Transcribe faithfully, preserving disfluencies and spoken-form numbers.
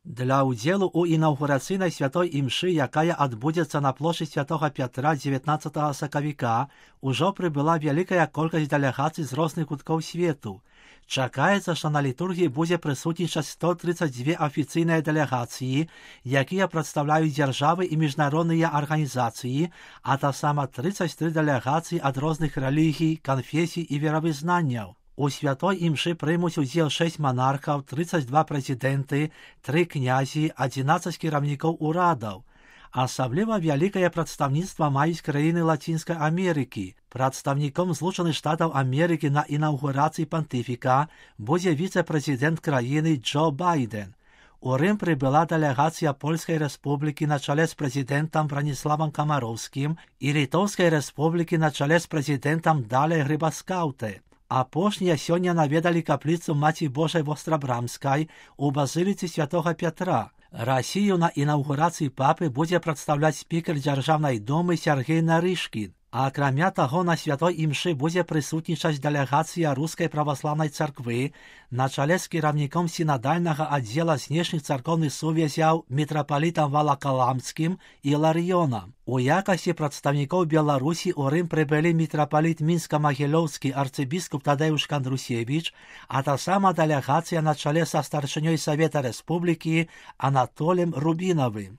Для удзелу ў інаўгурацыйнай святой імшы, якая адбудзецца на плошчы святога Пятра дзевятнаццатага сакавіка, ужо прыбыла вялікая колькасць дэлегацый з розных куткоў свету. Чакаецца, што на літургіі будзе прысутнічаць сто тридцать две афіцыйныя дэлегацыі, якія прадстаўляюць дзяржавы і міжнародныя арганізацыі, а таксама тридцать три дэлегацыі ад розных рэлігій, канфесій і веравызнанняў. У святой імшы прымуць удзел шэсць манархаў, тридцать два прэзідэнты, тры князі, адзінаццаць кіраўнікоў урадаў. Асабліва вялікае прадстаўніцтва маюць краіны Лацінскай Амерыкі. Прадстаўніком Злучаных Штатаў Амерыкі на інаўгурацыі пантыфіка будзе віцэ-прэзідэнт краіны Джо Байден. У Рым прыбыла дэлегацыя Польскай Рэспублікі на чале з прэзідэнтам Браніславам Камароўскім і Літоўскай Рэспублікі на чале з прэзідэнтам Далай Грыбаскаўтэ. Апошнія сёння наведалі капліцу Маці Божай Вострабрамскай у базыліцы святога Пятра. Расію на інаўгурацыі папы будзе прадстаўляць спікер дзяржаўнай думы Сяргей Нарышкін. А акрамя таго, на святой імшы будзе прысутнічаць дэлегацыя рускай праваслаўнай царквы на чале з кіраўніком сінадальнага аддзела знешніх царкоўных сувязяў мітрапалітам Валакаламскім і Ларыёнам. У якасці прадстаўнікоў Беларусі ў Рым прыбылі мітрапаліт мінска-магілёўскі арцыбіскуп Тадэуш Кандрусевіч, а таксама дэлегацыя на чале са старшынёй Савета Рэспублікі Анатолем Рубінавым.